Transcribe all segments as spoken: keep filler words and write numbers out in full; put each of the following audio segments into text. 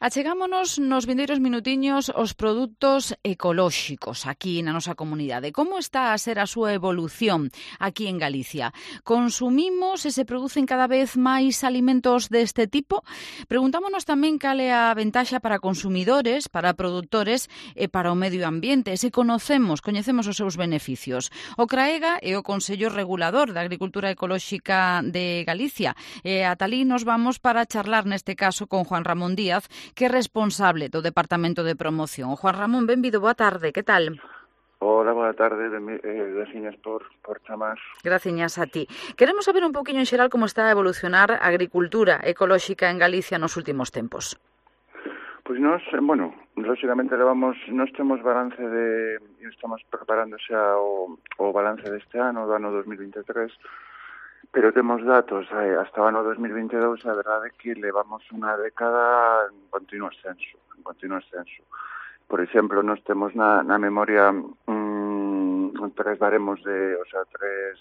Achegámonos nos vindeiros minutiños os produtos ecolóxicos aquí na nosa comunidade. Como está a ser a súa evolución aquí en Galicia? Consumimos e se producen cada vez máis alimentos deste tipo? Preguntámonos tamén cal é a ventaxa para consumidores, para produtores e para o medio ambiente. Se conocemos, coñecemos os seus beneficios. O CRAEGA é o Consello Regulador da Agricultura Ecolóxica de Galicia. E ata alí nos vamos para charlar neste caso con Juan Ramón Díaz, que é responsable do Departamento de Promoción. Juan Ramón, benvido, boa tarde, que tal? Hola, boa tarde, eh, graciñas por, por chamar. Graciñas a ti. Queremos saber un poquinho en xeral como está a evolucionar a agricultura ecolóxica en Galicia nos últimos tempos. Pois nós, bueno, lógicamente levamos, nós temos balance de, estamos preparando xa o, o balance deste ano, do ano dos mil vinte e tres, pero temos datos eh, hasta o ano dos mil vinte e dous, a verdade é que levamos unha década en continuo ascenso, en continuo ascenso. Por exemplo, nós temos na, na memoria mmm, tres baremos de, o sea, tres,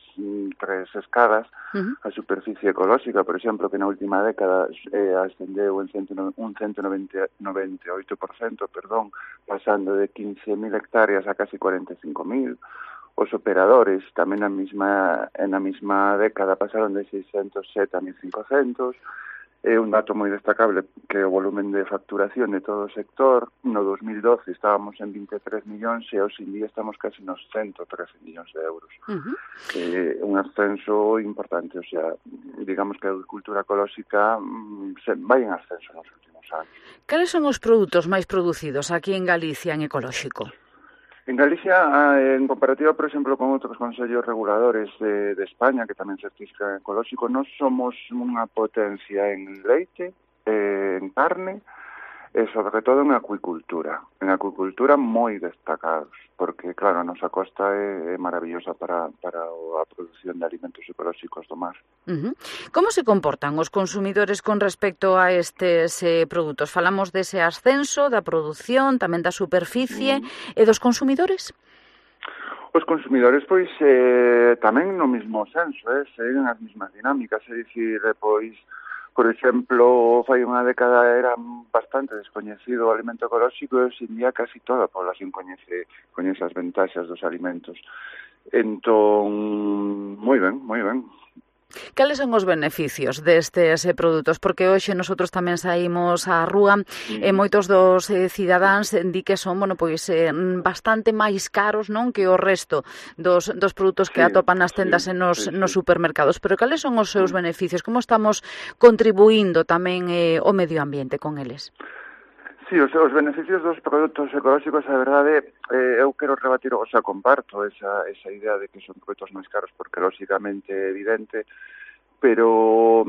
tres escadas, uh-huh. A superficie ecolóxica, por exemplo, que na última década eh, ascendeu en cento, un ciento noventa e oito por cento, perdón, pasando de quince mil hectáreas a casi cuarenta e cinco mil. Os operadores tamén na mesma, na mesma década pasaron de seiscentos sete a mil cincocentos. É un dato moi destacable que o volumen de facturación de todo o sector, no dos mil doce estábamos en vinte e tres millóns e hoxe en día estamos casi nos ciento trece millóns de euros. Uh-huh. É un ascenso importante, o sea, digamos que a agricultura ecolóxica se vai en ascenso nos últimos anos. Cales son os produtos máis producidos aquí en Galicia en ecolóxico? En Galicia, en comparativa, por exemplo, con outros consellos reguladores de, de España, que tamén certifican ecolóxico, nós somos unha potencia en leite, eh, en carne, e sobre todo en acuicultura. En acuicultura moi destacados, porque, claro, a nosa costa é, é maravillosa para, para a produción de alimentos ecolóxicos do mar. Uh-huh. Como se comportan os consumidores con respecto a estes eh, produtos? Falamos dese ascenso, da produción, tamén da superficie, uh-huh. E dos consumidores? Os consumidores, pois, eh, tamén no mesmo senso, eh, seguen as mesmas dinámicas, é dicir, pois, por exemplo, fai unha década era bastante descoñecido o alimento ecolóxico e hoxe en día casi toda a población coñece, coñece as ventaxas dos alimentos. Entón, moi ben, moi ben. Cales son os beneficios destes eh, produtos? Porque hoxe nosotros tamén saímos á rúa mm. e moitos dos eh, cidadáns di que son, bueno, pois eh, bastante máis caros, non, que o resto dos, dos produtos que sí, atopan nas tendas sí, e nos, sí, nos supermercados. Pero cales son os seus mm. beneficios? Como estamos contribuindo tamén eh, o medio ambiente con eles? Sí, os, os beneficios dos produtos ecolóxicos, a verdade, eh, eu quero rebatir, o sea, comparto esa, esa idea de que son produtos máis caros porque lógicamente é evidente, pero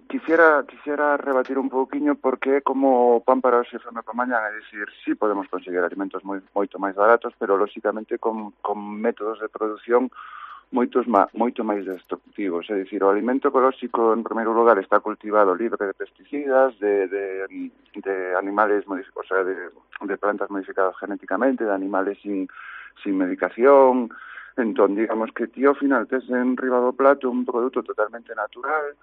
quisiera quisiera rebatir un pouquiño porque é como pan para hoxe e fame para mañá, é dicir, sí podemos conseguir alimentos moi, moito máis baratos, pero lógicamente con, con métodos de produción moitos má, moito máis destructivos, é dicir, o alimento ecolóxico en primeiro lugar está cultivado libre de pesticidas, de, de, de animales, o sea, de, de plantas modificadas genéticamente, de animales sin, sin medicación. Entón, digamos que ti ao final tes en riba do plato un produto totalmente natural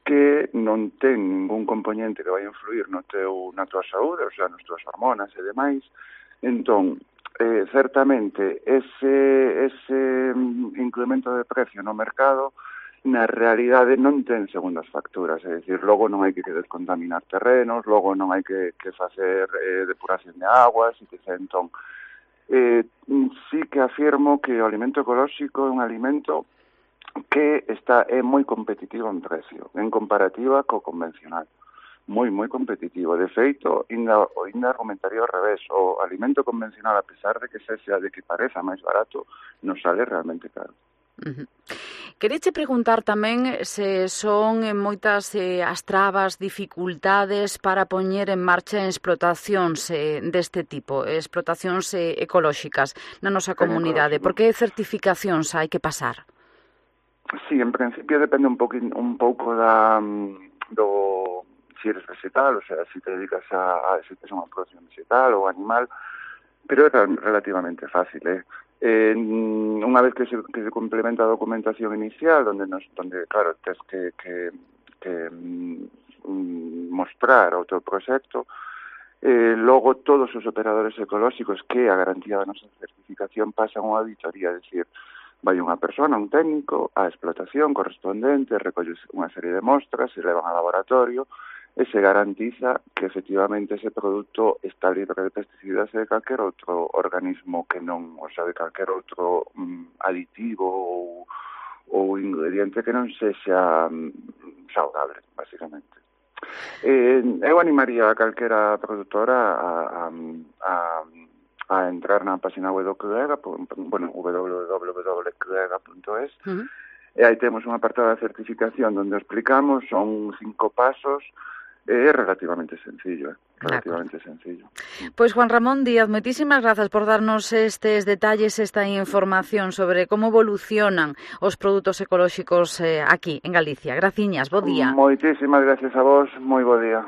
que non ten ningún componente que vai influir no teu, na tua saúde, o sea, nas tuas hormonas e demais. Entón, Eh, certamente ese, ese incremento de precio no mercado na realidade non ten segundas facturas, é dicir, logo non hai que descontaminar terrenos, logo non hai que, que facer eh, depuración de aguas, etcétera. Entón, eh, sí que afirmo que o alimento ecolóxico é un alimento que está é moi competitivo en precio, en comparativa co convencional. Moi, moi competitivo. De feito, ainda, ainda argumentaría ao revés. O alimento convencional, a pesar de que sexa de que pareza máis barato, nos sale realmente caro. Uh-huh. Quereche preguntar tamén se son moitas eh, as trabas, dificultades para poñer en marcha explotacións eh, deste tipo, explotacións eh, ecolóxicas na nosa comunidade. Por que certificacións hai que pasar? Sí, en principio depende un, poquín, un pouco da, do... si eres vegetal, o sea, si te dedicas a, a si tienes unha producción vegetal ou animal, pero é relativamente fácil, eh. eh unha vez que se, que se complementa a documentación inicial, donde, nos, donde claro, tens que, que, que mm, mostrar o teu proxecto, Eh, logo, todos os operadores ecolóxicos que a garantía da nosa certificación pasan unha auditoría, é dicir, vai unha persona, un técnico, á explotación correspondente, recolle unha serie de mostras, se levan ao laboratorio, e se garantiza que efectivamente ese produto está libre de pesticidas e de calquer outro organismo que non, o sea, de calquer outro mm, aditivo ou, ou ingrediente que non sexa mm, saudable, basicamente. Eh, eu animaría a calquera produtora a, a, a, a entrar na página web do CRUEGA, bueno, w w w punto cruega punto es, uh-huh. E aí temos un apartado de certificación onde explicamos, son cinco pasos. É relativamente sencillo, eh? relativamente sencillo. Pois Juan Ramón Díaz, moitísimas grazas por darnos estes detalles, esta información sobre como evolucionan os produtos ecolóxicos eh, aquí en Galicia. Graciñas, bo día. Moitísimas gracias a vos, moi bo día.